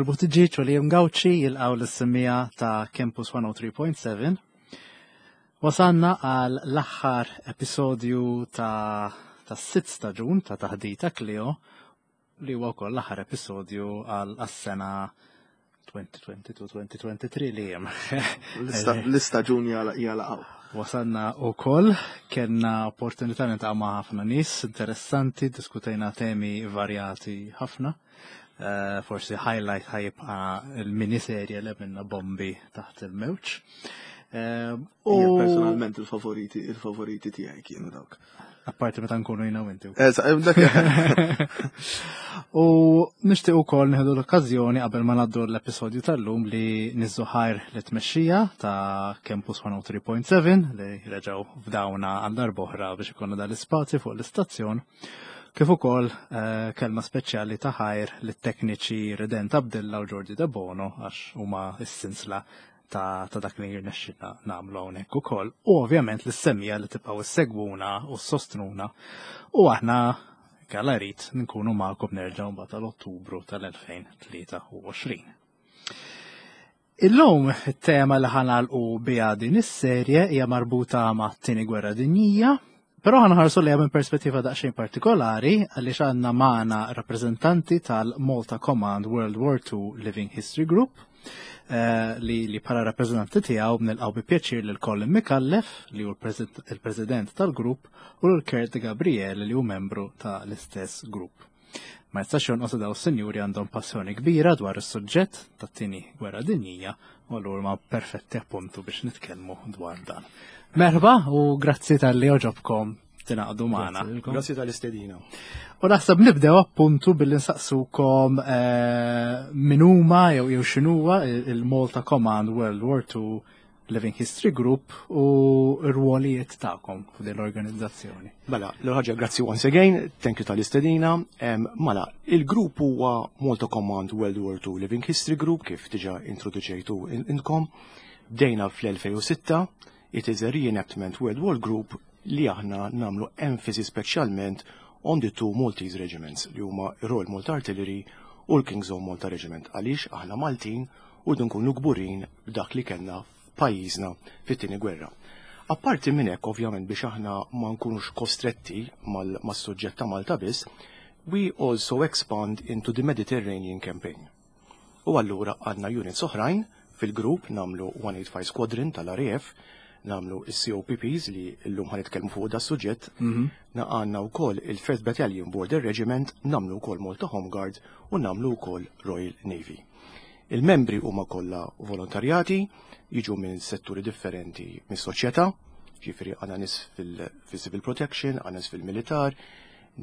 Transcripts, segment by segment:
Manuel Buttigieg u Liam Gauci jilqgħu lis-semmiegħa ta' Campus 103.7. Wasanna għal l-aħħar episodju ta' tas-sitt staġun ta' Taħdita Clio li huwa wkoll l-aħħar episodju għal għas-sena 2022-2023 li jem. L-istaġun jalaqaw. Wasanna u koll, kellna opportunità niltaqgħu ma' ħafna nies interessanti, diskutejna temi varjati ħafna. Eh, forsi highlight ħajibqa il-miniserje li minna bombi taħt il-mewġ. Eh, u personalment il-favoriti, il-favoriti tiegħi kienu dawk. Apparti meta nkunu jina u inti. U nixtieq ukoll nieħdu l-okkażjoni qabel ma ngħaddu l-episodju tal-lum li niżżu ħajr li tmexxija ta' Campus 103.7 li reġgħu fdawna għal darb'oħra biex ikunu dal-ispazju fuq l-istazzjon. Kif ukoll eh, kelma speċjali ta' ħajr lit-tekniċi Redent Abdilla u Jordi Debono għax huma s-sinsla ta', ta dak li jirnexxina nagħmlu hawnhekk ukoll. U ovvjament lis-semmiegħa li tibqgħu issegwuna u ssostnuna. U aħna kalla rrid nkunu magħkom nerġgħu mbagħad tal-Ottubru tal-2023. Illum it-tema li ħa nagħlqu biha din is-serje hija marbuta ma' t-tieni gwerra dinjija, però ħa nħarsu lejha minn perspettiva daqsxejn partikolari għaliex għandna magħna rappreżentanti tal-Malta Command World War II Living History Group eh, li, li bħala rappreżentanti tiegħu nilqgħu bi pjaċir lil Colin Micallef li hu il-president tal-grupp u lil Kurt Gabriel li hu membru tal-istess grupp. Ma jistax jonqos daw s-sinjuri għandhom passjoni kbira dwar is-suġġett tat-tieni gwerra dinjija u allura ma perfetti appuntu biex nitkellmu dwar dan. Merħba u grazzi talli għoġobkom tingħaqdu magħna. Grazzi tal-istedina. U naħseb nibdew appuntu billi nsaqsukom eh, min huma jew jew x'inhuwa il-Malta Command World War II Living History Group u r-rwolijiet tagħkom f'din l-organizzazzjoni. Mela, l-ħaġa grazzi once again, thank you tal-istedina. Mela, il-grupp huwa Malta Command World War II Living History Group kif diġa introduċejtu intkom. Bdejna fl-2006, it is a reenactment World War Group li aħna nagħmlu emphasis speċjalment on the two Maltese regiments li huma Royal Malta Artillery u l-King's Own Malta Regiment għaliex aħna Maltin u nkunu kburin b'dak li kellna f'pajjiżna fit-tieni gwerra. Apparti minn hekk ovvjament biex aħna ma nkunux kostretti mas-suġġett ta' Malta biss, we also expand into the Mediterranean campaign. U allura għandna units oħrajn fil-grupp nagħmlu 185 Squadron tal-RAF, nagħmlu il-COPPs li llum ħa nitkellmu fuq da suġġett, għandna wkoll il-First Battalion Border Regiment, nagħmlu wkoll Malta Home Guard u nagħmlu wkoll Royal Navy. Il-membri huma kollha volontarjati, jiġu minn setturi differenti mis-soċjetà, ġifieri għandna nies fil-civil protection, għandna nies fil-militar,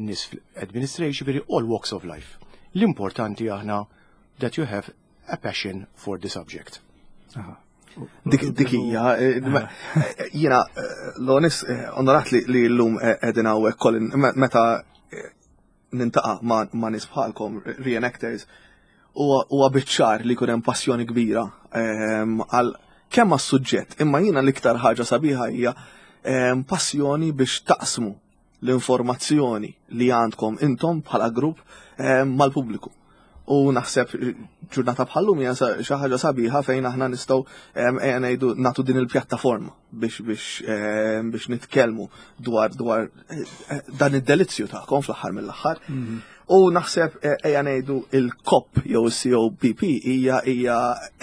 nies fil-administration, ġifieri all walks of life. L-importanti aħna that you have a passion for the subject. Dik hija, eh, eh, jiena eh, l-onis onorat li llum qegħdin hawnhekk Colin meta niltaqa' ma' nies bħalkom reenactors huwa biċ-ċar li jkun hemm passjoni kbira ehm, għal kemm għas-suġġett, imma jiena l-iktar ħaġa sabiħa hija ehm, passjoni biex taqsmu l-informazzjoni li għandkom intom bħala grupp ehm, mal-pubbliku. U naħseb ġurnata bħallum hija xi ħaġa sabiħa fejn aħna nistgħu ejja ngħidu nagħtu din il-pjattaforma biex biex biex nitkellmu dwar dwar eh, dan id-delizzju tagħkom fl-aħħar mill-aħħar. U naħseb eh, ejja ngħidu il-COP jew il-COPP hija hija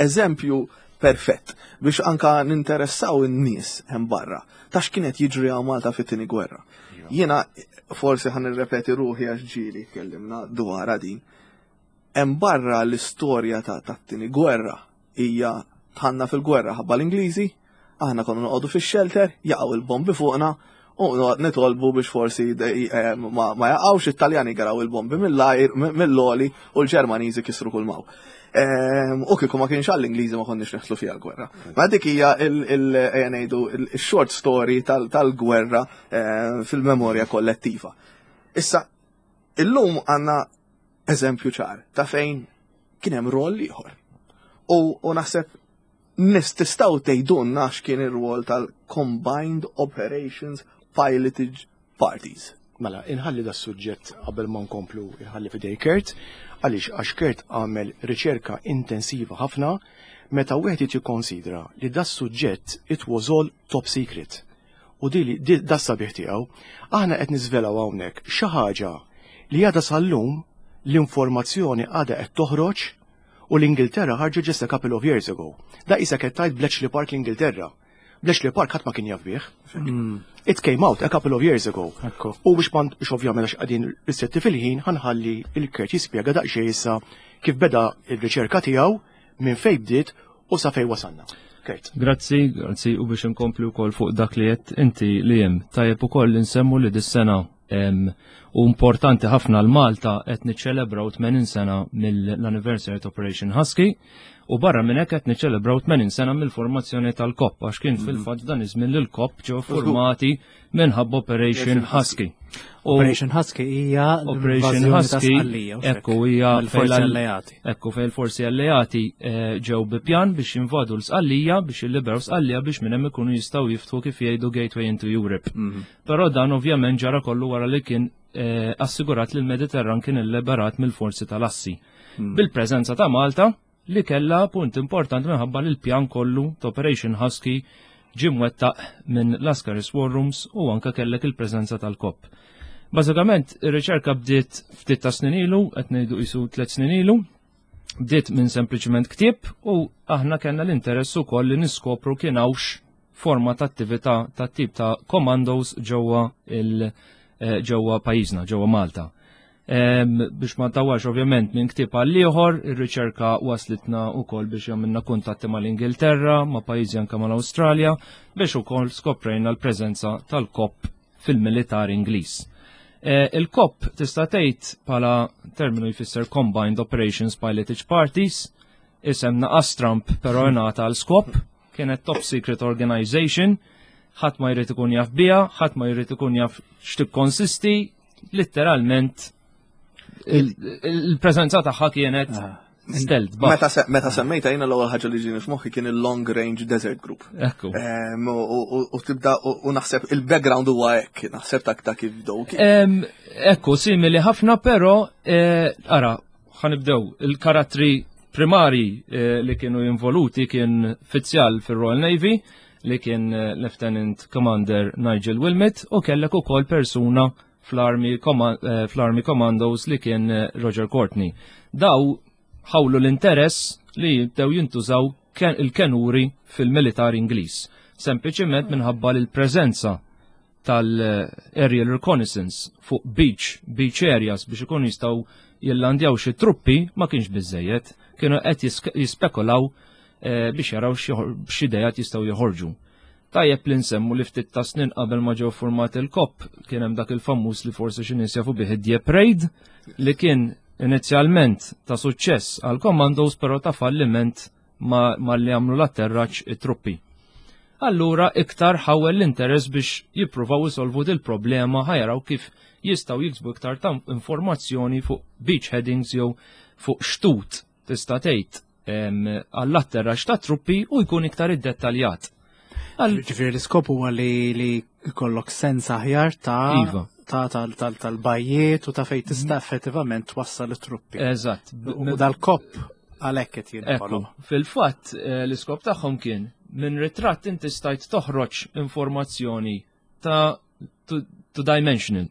eżempju perfett biex anka ninteressaw in-nies hemm barra ta' x'kienet jiġri hawn Malta fit-tieni gwerra. Jiena forsi ħa nirrepeti ruħi għax ġieli tkellimna dwar din. Hemm barra l-istorja ta' tat-tieni gwerra hija dħalna fil-gwerra ħabba l-Ingliżi, aħna konna noqogħdu fix-shelter, jaqgħu il-bombi fuqna u nitolbu biex forsi eh, ma ma jaqgħux it-Taljani garaw il-bombi mill-ajr mill-għoli u l-Ġermaniżi kisru kull m'hawn. Ehm, U kieku ma kienx għall-Ingliżi ma konniex neħslu fiha l-gwerra. Ma dik hija il- ejja ngħidu il-short story tal-gwerra eh, fil-memorja kollettiva. Issa, illum għandna eżempju ċar ta' fejn kien hemm rol ieħor. U naħseb nis tistgħu tgħidulna x'kien ir-rwol tal-Combined Operations Pilotage Parties. Mela, inħalli da suġġett qabel ma nkomplu inħalli f'idej Kurt, għaliex għax Kurt għamel riċerka intensiva ħafna meta wieħed irid jikkonsidra li da suġġett it was all top secret. U di da sabiħ tiegħu, aħna qed niżvelaw hawnhekk xi ħaġa li għadha sal-lum l-informazzjoni għadha qed toħroġ u l-Ingilterra ħarġu just a couple of years ago. Da isa qed tgħid Bletchley Park l-Ingilterra. Bletchley Park ħadd ma kien jaf bih. It came out a couple of years ago. U biex ma biex ovvjament għax qegħdin ristretti fil-ħin ħa nħalli lil Kurt jispjega daqsxejn issa kif beda il-riċerka tiegħu minn fejn bdiet u sa fejn wasalna. Kurt. Grazzi, grazzi u biex inkompli wkoll fuq dak li qed inti li hemm. Tajjeb ukoll li nsemmu li dis-sena u importanti ħafna l-Malta qed niċċelebraw 80 sena mill-anniversary ta' Operation Husky u barra minn hekk qed niċċelebraw 80 sena mill-formazzjoni tal-COP għax kien fil-fatt dan iż-żmien li l-COP ġew formati minħabba Operation Husky. Operation Husky hija Operation Husky ekku hija forzi alleati. Ekku fejn il-forzi alleati eh, ġew bi pjan biex jinvadu l-Sqallija biex jilliberaw Sqallija biex minn hemm ikunu jistgħu jiftħu kif jgħidu Gateway into Europe. Però dan ovvjament ġara kollu wara li kien eh, assigurat li l-Mediterran kien illiberat mill-forzi tal-assi. Bil-preżenza ta' Malta li kella punt importanti minħabba li l-pjan kollu ta' Operation Husky ġie mwettaq minn Lascaris War Rooms u anka kellek il-preżenza tal-COP. Bażikament, ir-riċerka bdiet ftit ta' snin ilu, qed ngħidu qisu tliet snin ilu, bdiet minn sempliċement ktieb u aħna kellna l-interess ukoll li niskopru kien hawnx forma ta' attività ta' tip ta' commandos ġewwa il eh, ġewwa pajjiżna, ġewwa Malta. Biex ma tawax ovvjament minn ktieb għal ieħor, ir-riċerka waslitna wkoll biex jagħmilna kuntatti mal-Ingilterra, ma' pajjiżi anke mal-Awstralja, biex ukoll skoprejna l-preżenza tal-COP fil-militar Ingliż. Eh, Il-COP tista' tgħid bħala terminu jfisser Combined Operations Pilotage Parties, isem naqas Trump però ngħata għal skop, kienet top secret organization, ħadd ma jrid ikun jaf biha, ħadd ma jrid ikun jaf x'tikkonsisti, letteralment il-preżenza tagħha kienet ah. stealth. Meta meta semmejta jiena l-ewwel ħaġa li ġieni f'moħħi kien il-Long Range Desert Group. Ekku. U tibda u naħseb il-background huwa hekk, naħseb ta' ta' kif bdew. Ekku, simili ħafna, però eh, ara, ħanibdew il-karattri primari eh, li kienu involuti kien fizzjal fir-Royal Navy li kien eh, Lieutenant Commander Nigel Wilmot u kellek ukoll persuna fl-Army eh, fl-Army Commandos li kien eh, Roger Courtney. Daw ħawlu l-interess li jibdew jintużaw il-kenuri fil-militar Ingliż, sempliċiment minħabba l-preżenza tal-aerial reconnaissance fuq beach, beach areas biex ikunu jistgħu jillandjaw xi truppi ma kienx biżejjed, kienu qed jispekulaw eh, biex jaraw x'idejat jistgħu joħorġu. Tajjeb li nsemmu li ftit ta' snin qabel ma ġew format il-COP kien hemm dak il-famuż li forsi xi nies jafu bih id-Dieppe Raid li kien inizjalment ta' suċċess għal commandos però ta' falliment ma, ma li għamlu l-atterraġġ it-truppi. Allura iktar ħawel l-interess biex jippruvaw isolvu dil problema ħajaraw kif jistgħu jiksbu iktar ta' informazzjoni fuq beach headings jew fuq xtut tista' tgħid għall-atterraġġ ta' truppi u jkun iktar iddettaljat. Ġifieri l-iskop huwa li li jkollok sens aħjar ta' iva. ta' tal-bajjiet u ta' fejn tista' effettivament twassal it-truppi. Eżatt. U dal-COP għalhekk qed jinħoloq. Fil-fatt eh, l-iskop tagħhom kien minn ritratt inti stajt toħroġ informazzjoni ta' two dimensional.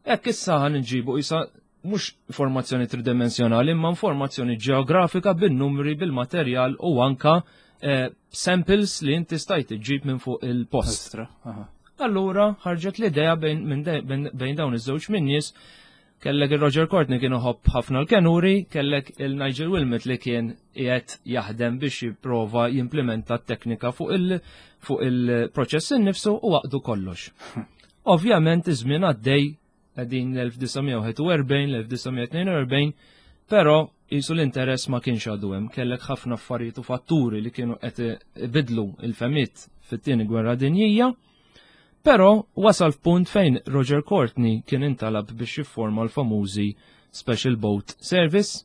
Hekk issa ħan nġibu isa mhux informazzjoni tridimensjonali imma informazzjoni ġeografika bin-numri, bil-materjal u anka eh, samples li inti stajt iġġib minn fuq il-post. Allura ħarġet l-idea bejn dawn iż-żewġ min-nies kellek il-Roger Courtney kien iħobb ħafna l-kenuri, kellek il-Nigel Wilmot li kien qiegħed jaħdem biex jipprova jimplementa t-teknika fuq il- fuq il-proċess innifsu u għaqdu kollox. Ovvjament iż-żmien għaddej qegħdin l-1941, l-1942, però jisu l-interess ma kienx għadu hemm, kellek ħafna affarijiet u fatturi li kienu qed ibidlu il-femiet fit-tieni gwerra dinjija. Però wasal f'punt fejn Roger Courtney kien intalab biex jifforma l-famużi Special Boat Service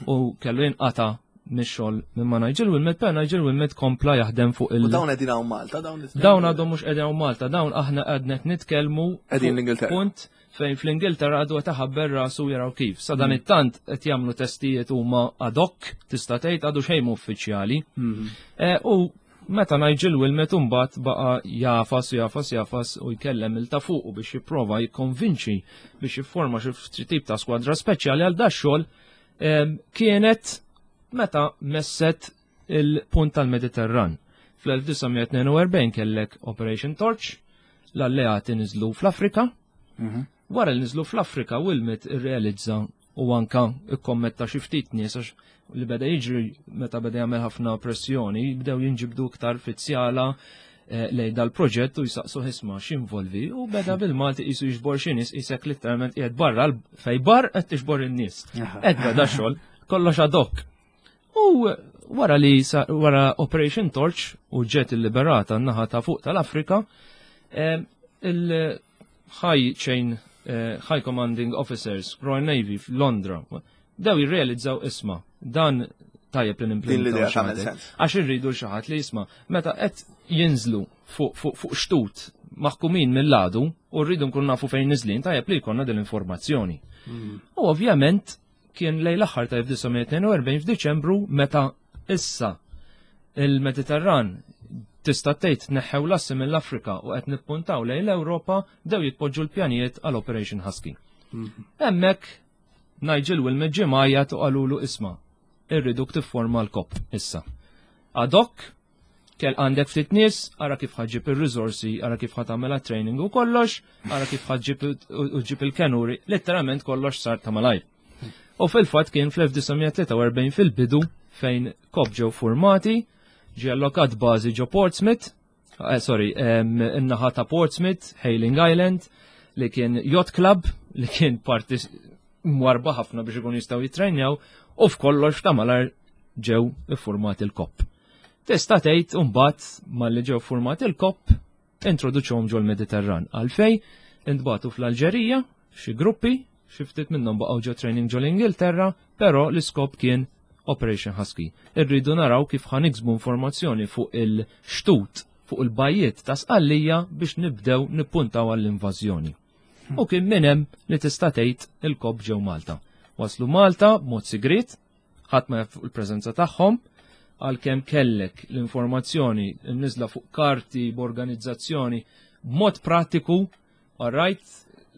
u kellu jinqata' mix-xogħol minn ma Nigel Wilmet, però Nigel Wilmet kompla jaħdem fuq il- U dawn qegħdin hawn Malta, dawn Dawn għadhom mhux qegħdin hawn Malta, dawn aħna għadna qed nitkellmu Qegħdin l-Ingilterra. Punt fejn fl-Ingilterra għadu qed iħabber rasu jaraw kif. Sa dan it-tant qed jagħmlu testijiet huma ad hoc, tista' tgħid għadu xejn mhu uffiċjali. U meta Nigel Wilmet imbagħad baqa' jafas u jafas jafas u jkellem il ta' fuqu biex jipprova jikkonvinċi biex jifforma xi tip ta' skwadra speċjali għal da xogħol kienet meta messet il-punt tal-Mediterran. Fl-1942 kellek Operation Torch, l-alleati niżlu fl-Afrika. Wara li niżlu fl-Afrika, Wilmet irrealizza u anka ikkommetta xi ftit nies għax li beda jiġri meta beda jagħmel ħafna pressjoni, bdew jinġibdu iktar fizzjala lejn dal-proġett u jisaqsu isma' x'involvi u beda bil-Malti qisu jiġbor xi nies qisek literalment qiegħed barra fej bar qed tiġbor in-nies. Qed beda xogħol kollox ad hoc. U wara li wara Operation Torch u ġiet illiberata n-naħa ta' fuq tal-Afrika, il-High Chain High Commanding Officers Royal Navy f'Londra dew jirrealizzaw isma' dan tajjeb li nimplementaw xi ħadd. Għax irridu xi ħadd li jisma' meta qed jinżlu fuq xtut maħkumin mill-għadu u rridu nkun nafu fejn niżlin tajjeb li jkollna din l-informazzjoni. U ovvjament kien lejn l-aħħar ta' 1942 f'Diċembru meta issa il-Mediterran tista' tgħid neħħew lassi mill-Afrika u qed nippuntaw lejn l-Ewropa dew jitpoġġu l-pjanijiet għal Operation Husky. Hemmhekk Nigel Wilmet ġie mgħajjat u qalulu isma' irriduk tifforma l-KOP issa. Ad hoc, kell għandek ftit nies, ara kif ħa ġġib ir-riżorsi, ara kif ħa tagħmel training u kollox, ara kif ħa ġġib u ġib il-kenuri, letteralment kollox sar ta' malajr. U fil-fatt kien fl-1943 fil-bidu fejn KOP ġew formati, ġie allokat bażi ġo Portsmouth, sorry, in-naħa ta' Portsmouth, Hayling Island, li kien yacht club, li kien parti mwarba ħafna biex ikun jistgħu jitrejnjaw, u f'kollox ta' malajr ġew iffurmati l-KOP. Tista' tgħid imbagħad malli ġew formati l-KOP introduċuhom ġol Mediterran. Għalfej intbagħtu fl-Alġerija xi gruppi, xi ftit minnhom baqgħu ġo training ġol Ingilterra, però l-iskop kien Operation Husky. Irridu naraw kif ħa niksbu informazzjoni fuq il-xtut, fuq il-bajjiet ta' Sqallija biex nibdew nippuntaw għall-invażjoni. U kien minn hemm li tista' tgħid il-KOP ġew Malta. Waslu Malta b'mod sigrit, ħadd ma jaf fuq il-preżenza tagħhom, għalkemm kellek l-informazzjoni nniżla fuq karti b'organizzazzjoni b'mod pratiku, all right,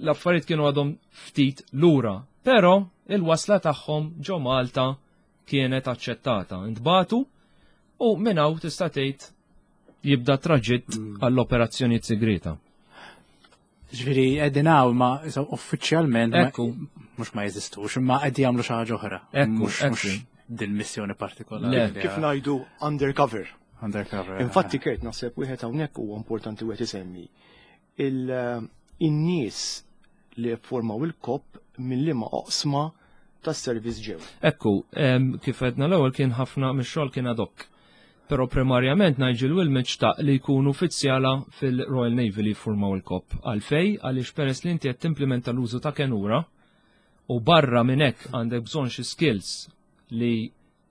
l-affarijiet kienu għadhom ftit lura, però il-wasla tagħhom ġo Malta kienet aċċettata. Intbagħtu u minn hawn tista' tgħid jibda traġitt għall-operazzjonijiet segreta. Ġifieri qegħdin hawn ma uffiċjalment mhux ma jeżistux, imma qed jagħmlu xi ħaġa oħra. Mhux din missjoni partikolari. Kif ngħidu undercover. Undercover. Infatti Kurt naħseb wieħed hawnhekk huwa importanti wieħed isemmi. In-nies li formaw il-KOP minn liema oqsma tas-servizz ġew. Ekku, kif għedna l-ewwel kien ħafna mix-xogħol kien ad hoc. Però primarjament Nigel Wilmet xtaq li jkunu uffiċjala fil-Royal Navy li jiffurmaw il-KOP. Għalfej, għaliex peress li inti qed timplementa l-użu ta' kenura u barra minn hekk għandek bżonn xi skills li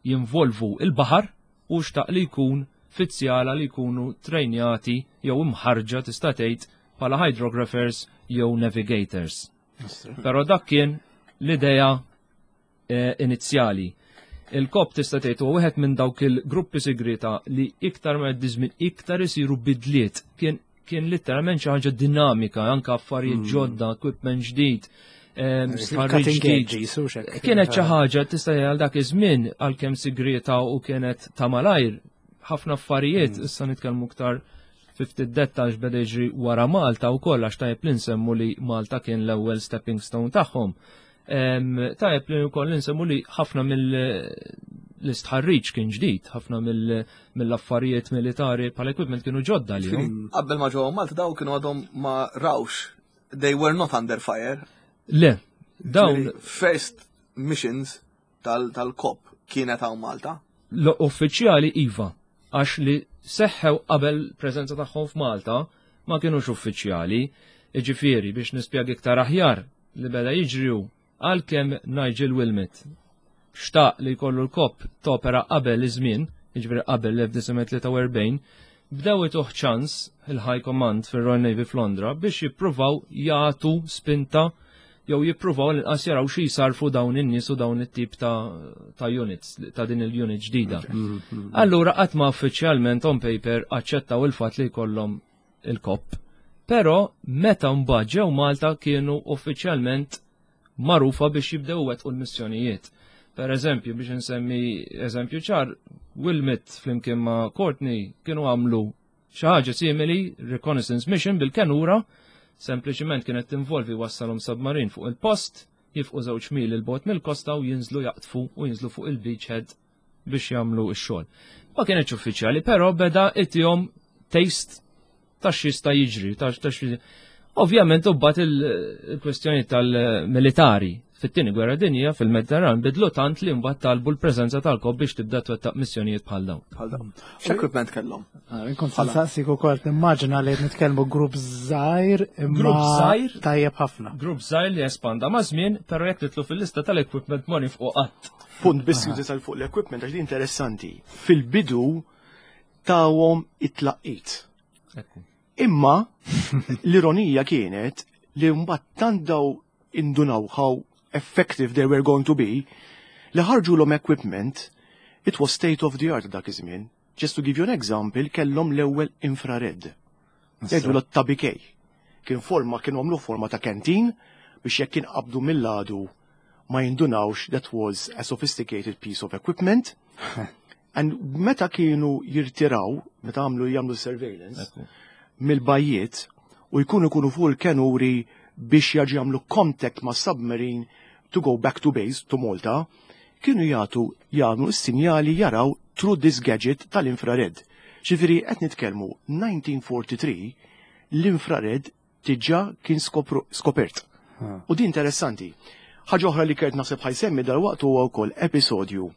jinvolvu il-baħar u xtaq li jkun uffiċjala li jkunu trejnjati jew imħarġa tista' tgħid bħala hydrographers jew navigators. Però dak kien l-idea inizjali. Il-KOP tista' tgħid huwa wieħed minn dawk il-gruppi segreta li iktar ma jgħaddi żmien iktar isiru bidliet. Kien letteralment xi ħaġa dinamika, anke affarijiet ġodda, equipment ġdid, stħarriġ ġdid. Kienet xi ħaġa tista' għal dak iż-żmien għalkemm segreta u kienet ta' malajr, ħafna affarijiet, issa nitkellmu iktar fi ftit dettal x'beda jiġri wara Malta wkoll għax tajjeb li nsemmu li Malta kien l-ewwel stepping stone tagħhom. Tajjeb li wkoll nsemmu li ħafna mill-istħarriġ kien ġdid, ħafna mill-affarijiet militari pal equipment kienu ġodda li. Qabel ma ġew Malta daw kienu għadhom ma rawx, they were not under fire. Le, dawn. First missions tal-KOP kienet hawn Malta? L-uffiċjali iva, għax li seħħew qabel preżenza tagħhom f'Malta ma kienux uffiċjali, jiġifieri biex nispjega iktar aħjar li beda jiġriu għalkemm Nigel Wilmet. xtaq li jkollu l-KOP topera qabel iż-żmien, jiġifieri qabel l-1943, bdew ituh ċans il-High Command fir-Royal Navy f'Londra biex jippruvaw jagħtu spinta jew jippruvaw l-inqas jaraw xi jsarfu dawn in-nies u dawn it-tip ta' units, ta' din il-unit ġdida. Allura qatt ma uffiċjalment on paper aċċettaw il-fatt li jkollhom il-KOP. Però meta mbagħad ġew Malta kienu uffiċjalment magħrufa biex jibdew wettqu l-missjonijiet. Per eżempju, biex insemmi eżempju ċar, Wilmot flimkien ma' Courtney kienu għamlu xi ħaġa simili, reconnaissance mission bil-kenura, sempliċiment kienet tinvolvi wassalhom submarine fuq il-post, jifqu żewġ mil il-bot mill-kosta u jinżlu jaqtfu u jinżlu fuq il-beachhead biex jagħmlu x-xogħol. Ma kienx uffiċjali, però beda itihom taste ta' x'jista' jiġri, ta' Ovvjament u il-kwestjoni tal-militari fit-tieni gwerra dinja fil-Mediterran bidlu tant li mbagħad talbu l-preżenza tal-KOP biex tibda twettaq missjonijiet bħal dawn. Bħal dawn. X'equipment kellhom? Ah, inkun saqsik ukoll nimmaġina li qed nitkellmu grupp żgħir imma Grupp żgħir tajjeb ħafna. Grupp żgħir li espanda ma' żmien, però jekk titlu fil-lista tal-equipment ma nifqu qatt. Punt biss jużi fuq l-equipment għax di interessanti. Fil-bidu tawhom it-tlaqqit. Imma l-ironija kienet li mbagħad tant daw indunaw how effective they were going to be li ħarġu l equipment, it was state of the art dak iż-żmien. Just to give you an example, kellhom l-ewwel infrared. Jgħidu l-tabikej. Kien forma, kienu għamlu forma ta' canteen biex jekk kien qabdu mill-għadu ma jindunawx that was a sophisticated piece of equipment. And meta kienu jirtiraw, meta għamlu jagħmlu surveillance, mill-bajjiet u jkunu jkunu fuq il-kenuri biex jaġu jagħmlu contact ma' submarine to go back to base, to Malta, kienu jagħtu jagħmlu s-sinjali jaraw through this gadget tal-infrared. Ġifieri qed nitkellmu 1943 l-infrared diġà kien skopert. U di interessanti. Ħaġa oħra li kert naħseb ħa jsemmi dal-waqt huwa wkoll episodju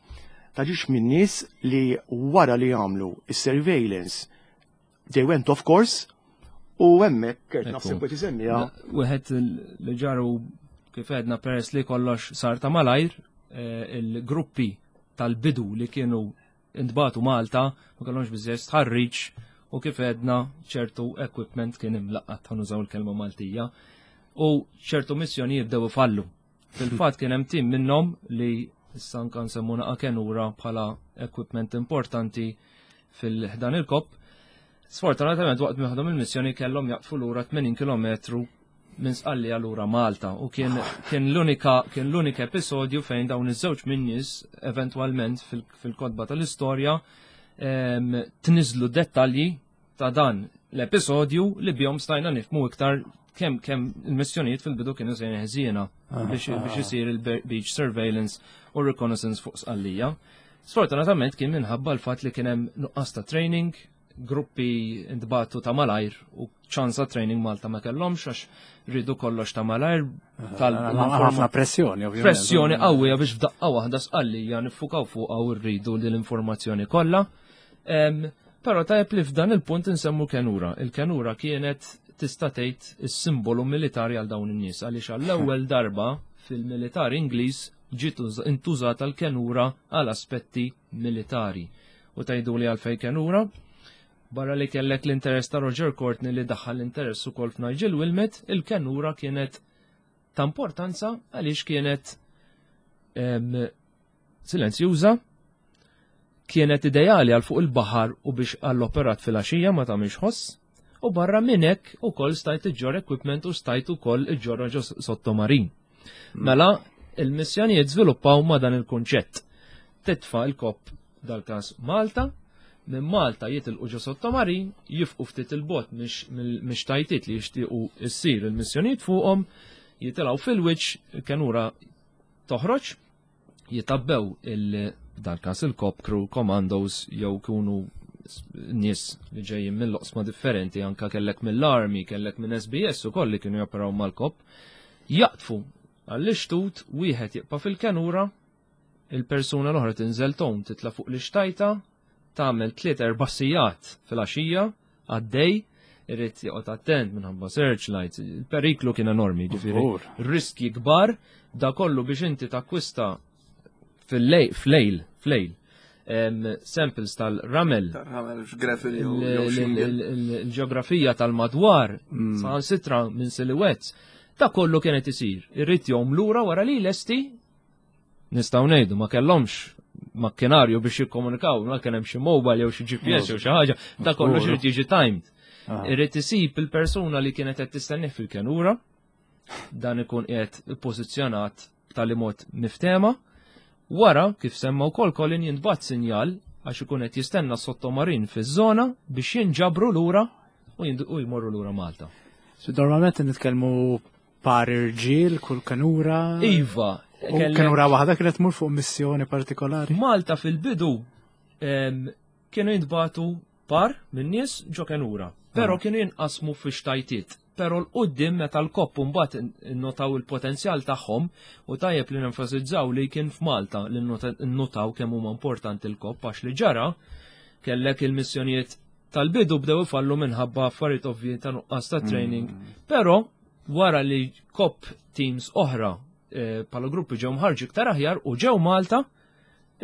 ta' ġiex minn nies li wara li għamlu is-surveillance they went off course u hemmhekk kert naħseb qed isemmiha. Wieħed li ġaru kif għedna peress li kollox sar ta' malajr, il-gruppi tal-bidu li kienu intbagħtu Malta ma kellhomx biżejjed stħarriġ u kif għedna ċertu equipment kien imlaqqat, ħa nużaw il-kelma Maltija, u ċertu missjonijiet bdew ifallu. Fil-fatt kien hemm tim minnhom li issa anka nsemmu naqa' kenura bħala equipment importanti fil-ħdan il-KOP. Sfortunatament waqt miħdom il-missjoni kellhom jaqfu lura 80 km minn Sqallija lura Malta u kien l-unika episodju fejn dawn iż-żewġ min-nies eventwalment fil-kotba tal-istorja tniżlu dettalji ta' dan l-episodju li bihom stajna nifhmu iktar kemm il-missjonijiet fil-bidu kienu sejrin ħżiena biex isir il-beach surveillance u reconnaissance fuq Sqallija. Sfortunatament kien minħabba l-fatt li kien hemm nuqqas ta' training, gruppi intbagħtu ta' malajr u ċansa training Malta ma kellhomx għax ridu kollox ta' malajr. Ħafna pressjoni, ovvjament. Pressjoni qawwija biex f'daqqa waħda Sqallija niffukaw fuqha u rridu l-informazzjoni kollha. Però tajjeb li f'dan il-punt insemmu kenura. Il-kenura kienet tista' tgħid is-simbolu militari għal dawn in-nies għaliex għall-ewwel darba fil-militar Ingliż ġiet intużata l-kenura għal aspetti militari. U tgħidu li għalfejn kenura? Barra li kellek l-interess ta' Roger Courtney li daħħal l-interess ukoll f'Nigel Wilmot, il-kenura kienet ta' importanza għaliex kienet silenzjuża, kienet ideali għal fuq il-baħar u biex għall-operat fil-għaxija ma tagħmilx ħoss, u barra minn hekk ukoll stajt iġġor equipment u stajt ukoll iġġorra ġo sottomarin. Mela, il-missjonijiet żviluppaw ma' dan il-kunċett. Titfa' il-KOP dal-każ Malta, minn Malta jitilqu ġo sottomarin, jifqu ftit il-bot mix-tajtiet li jixtiequ issir il-missjonijiet fuqhom, jitilgħu fil-wiċċ, il-kenura toħroġ, jitabbew dal-każ il-KOP crew commandos jew kunu nies li ġejjin mill-oqsma differenti, anka kellek mill-Army, kellek minn SBS u koll li kienu joperaw mal-KOP, jaqtfu għall-ixtut, wieħed jibqa' fil-kenura, il-persuna l-oħra tinżel tom, titla' fuq l-ixtajta, tagħmel 3-4 sigħat fil-għaxija għaddej, irrid joqgħod attent minħabba searchlights, il-periklu kien enormi, ġifieri riski kbar, da kollu biex inti takkwista. fil-lejl, flejl, samples tal-ramel. Tal-ramel, gravel Il-ġeografija tal-madwar, saħansitra minn silhouettes, ta' kollu kienet isir. Irrid jom lura wara li lesti nistgħu ngħidu ma kellhomx makkinarju biex jikkomunikaw, ma kien hemm xi mobile jew xi GPS jew xi ħaġa, ta' kollu x'irid jiġi timed. Irrid isib il-persuna li kienet qed tistennih fil-kenura, dan ikun qiegħed pożizzjonat b'tali mod miftema. Wara, kif semma wkoll Colin jintbagħat sinjal għax ikun qed jistenna sottomarin fiż-żona biex jinġabru lura u jmorru lura Malta. So, normalment nitkellmu par irġiel kull kenura. Iva. U kenura waħda kienet tmur fuq missjoni partikolari. Malta fil-bidu kienu jintbagħtu par minn nies ġo kenura, però kienu jinqasmu fi xtajtiet. Però l-qoddim meta l-COP mbagħad notaw il-potenzjal tagħhom u tajjeb li nenfasizzaw li kien f'Malta li notaw kemm huma importanti l-COP għax li ġara kellek il-missjonijiet tal-bidu bdew ifallu minħabba affarijiet ovvji ta' nuqqas ta' training. Però wara li COP teams oħra bħala gruppi ġew mħarġi iktar aħjar u ġew Malta,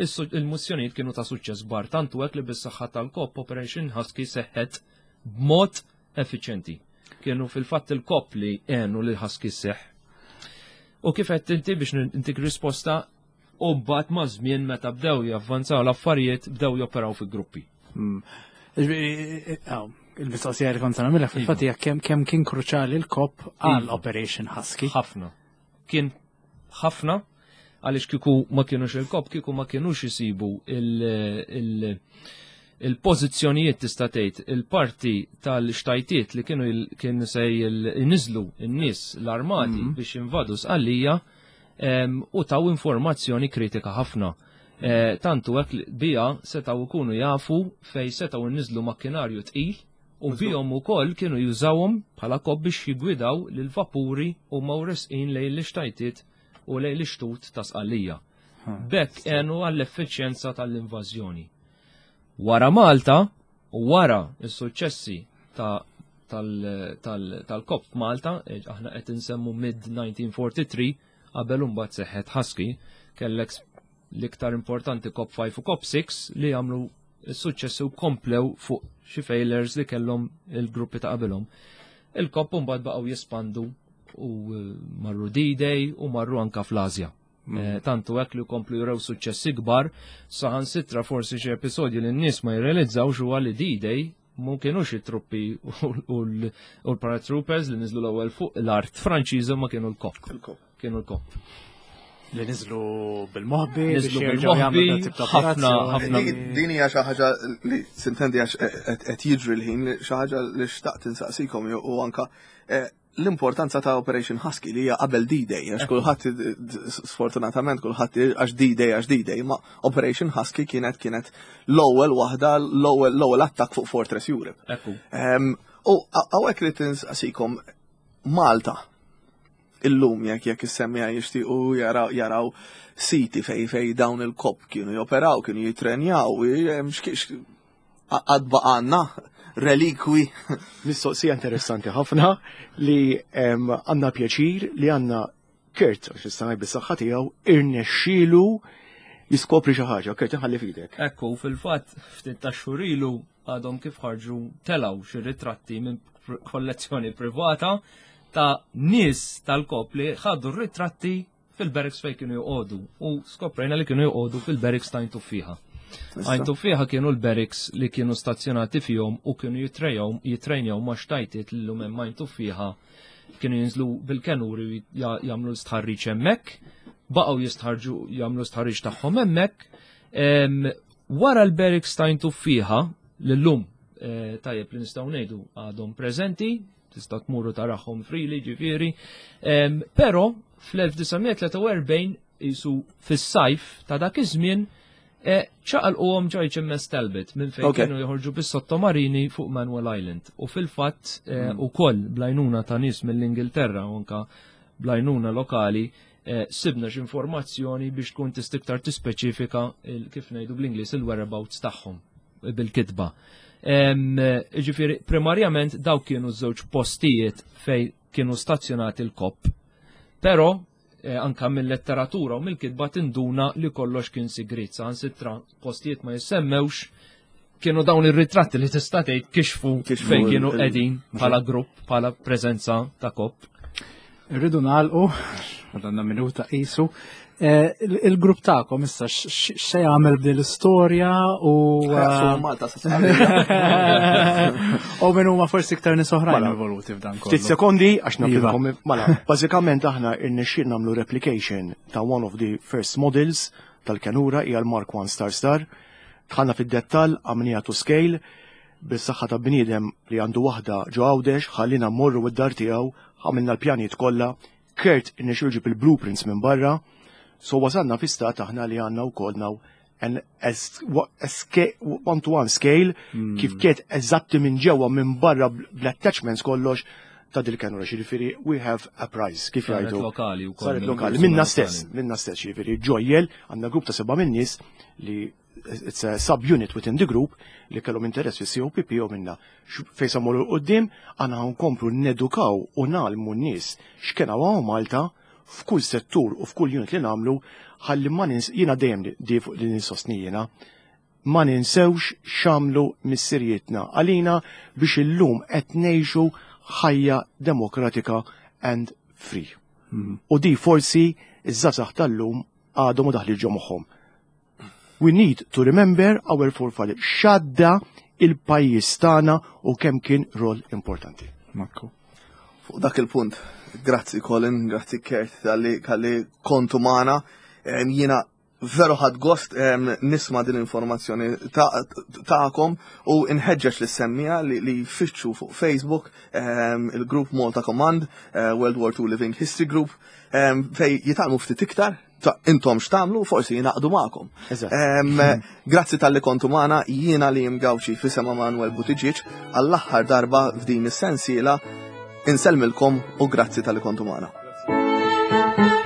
il-missjonijiet kienu ta' suċċess kbar, tantu hekk li bis-saħħa tal-COP Operation Husky seħħet b'mod effiċjenti. Kienu fil-fatt il-COP li għenu li Husky seħħ. U kif qed inti biex intik risposta u mbagħad ma' żmien meta bdew javvanzaw l-affarijiet bdew joperaw fi gruppi. Il-mistoqsija li kont nagħmilha fil-fatt hija kemm kien kruċjali l-COP għal Operation Husky. Ħafna. Kien ħafna għaliex kieku ma kienux il-COP, kieku ma kienux jisibu il-pożizzjonijiet tista' tgħid il-parti tal-xtajtiet li kienu kienu se jniżlu n-nies l-armati biex invadu Sqallija u taw informazzjoni kritika ħafna. Tantu hekk li bija setgħu jkunu jafu fej setgħu nniżlu makkinarju tqil u bihom ukoll kienu jużawhom bħala COP biex jigwidaw lil vapuri u mawresqin lejn l-ixtajtiet u lejn l-ixtut ta' Sqallija. Bekk għenu għall-effiċjenza tal-invażjoni. Wara Malta u wara s-suċċessi tal-COP f'Malta, aħna qed insemmu mid-1943, qabel imbagħad seħħet Husky, kellek l-iktar importanti COP 5 u COP 6 li għamlu s-suċċessi u komplew fuq xi failures li kellhom il-gruppi ta' qabilhom. Il-COP mbagħad baqgħu jispandu u marru D-Day u marru anka fl-Asja. Tantu hekk li komplu jurew suċċessi kbar, saħansitra forsi xi episodji li n-nies ma jirrealizzawx huwa li D-Day mu kienux it-truppi u l-paratroopers li niżlu l-ewwel fuq l-art Franċiża ma kienu l-COP. Il-COP. Kienu l-COP. Li niżlu bil-moħbi, Niżlu biex jerġgħu jagħmlu bil-moħbi, dat tip ta' ħafna, operazzjoni. ħafna. Din hija xi ħaġa li sintendi għax qed jiġri l-ħin, xi ħaġa li xtaqt insaqsikom u anka l-importanza ta' Operation Husky li hija qabel D-Day, għax kulħadd sfortunatament kulħadd għax D-Day għax D-Day, ma Operation Husky kienet l-ewwel waħda, l-ewwel attakk fuq Fortress Europe. U hawnhekk li tinsaqsikom Malta illum jekk issemmiha jixtiequ jaraw siti fej dawn il-COP kienu joperaw, kienu jitrenjaw, għad baqgħanna relikwi. Mistoqsija interessanti ħafna li għandna pjaċir li għandna Kurt, għax issa ngħid bis-saħħa tiegħu, irnexxielu jiskopri xi ħaġa. Kurt, inħalli f'idek. Ekku, fil-fatt, ftit ta' xhur ilu għadhom kif ħarġu telaw xi ritratti minn kollezzjoni privata ta' nies tal-COP li ħadu r-ritratti fil-barracks fejn kienu joqogħdu u skoprejna li kienu joqogħdu fil-barracks ta' Għajn Tuffieħa. Għajn Tuffieħa kienu l-barracks li kienu stazzjonati fihom u kienu jitrejnjaw ma' xtajtiet li l-lum hemm Għajn Tuffieħa, kienu jinżlu bil-kenuri u jagħmlu l-istħarriġ hemmhekk, baqgħu jistħarġu jagħmlu l-istħarriġ tagħhom hemmhekk. Wara l-barracks ta' Għajn Tuffieħa l-lum tajjeb li nistgħu ngħidu għadhom preżenti, tista' tmurru taraħħom freely ġifieri, però fl-1943 jisu fis-sajf ta' dak iż-żmien ċaqalquhom ġo HMS Talbot minn fejn kienu joħorġu bis-sottomarini fuq Manuel Island. U fil-fatt ukoll blajnuna ta' nies mill-Ingilterra u anka blajnuna lokali sibna x'informazzjoni biex tkun tista' iktar tispeċifika kif ngħidu bl-Ingliż il-whereabouts tagħhom bil-kitba. Ġifieri, primarjament dawk kienu żewġ postijiet fej kienu stazzjonati l-COP. Però anka mill-letteratura u mill-kitba tinduna li kollox kien sigriet, saħansitra postijiet ma jissemmewx kienu dawn ir-ritratti li tista' tgħid kixfu fejn kienu qegħdin bħala grupp, bħala preżenza ta' kopp. Irridu nagħlqu, għandna minuta qisu. Eh, il-grupp tagħkom issa x'se jagħmel b'din l-istorja u eh, Malta U minn huma forsi iktar nies oħrajn mela, involuti f'dan kollu. Ftit sekondi għax nafilkom iva. mela, bażikament aħna irnexxiel nagħmlu replication ta' one of the first models tal-kenura hija l-Mark 1 Star Star. Dħalna fid-dettall għamniha to scale bis-saħħa ta' bniedem li għandu waħda ġo Għawdex ħallina mmorru id-dar tiegħu, għamilna l-pjanijiet kollha, Kurt irnexxielu jġib il-blueprints minn barra, so wasalna fi stat aħna li għandna wkoll now an one to one scale hmm. kif kiet eżatti minn ġewwa minn barra bl-attachments kollox ta' dil-kenura, ġifieri we have a prize, kif jgħidu. Lokali wkoll. Saret lokali, minna stess, minna stess, ġifieri ġojjel, għandna grupp ta' seba' minn nies li it's a sub-unit within the group li kellhom interess fis COPP u minna fejn sa morru qudiem għandna nkomplu nedukaw u nagħlmu n-nies x'kien hawn Malta f'kull settur u f'kull unit li nagħmlu ħalli ma nins jiena dejjem di fuq li ninsostni jiena ma ninsewx x'għamlu missirietna għalina biex illum qed ngħixu ħajja demokratika and free. Mm. U di forsi iż-żgħażagħ tal-lum għadhom u daħli ġo moħħhom. We need to remember our forefathers. X'għadda il-pajjiż tagħna u kemm kien rol importanti. Makku. Fuq dak il-punt, grazzi Colin, grazzi Kurt tal-li kontu magħna. Jiena veru ħad gost nisma din l-informazzjoni ta'kom u nħeġġeġ li semmija li jfittxu fuq Facebook il-grupp Malta Command, eh, World War II Living History Group, fej jitalmu ftit iktar ta' intom x'tagħmlu forsi jingħaqdu magħkom. Grazzi tal-li kontu magħna jiena li jimgawxi fisem Manuel Buttigieg għall-aħħar darba f'din is-sensiela insellmilkom u grazzi tal-li kontu magħna.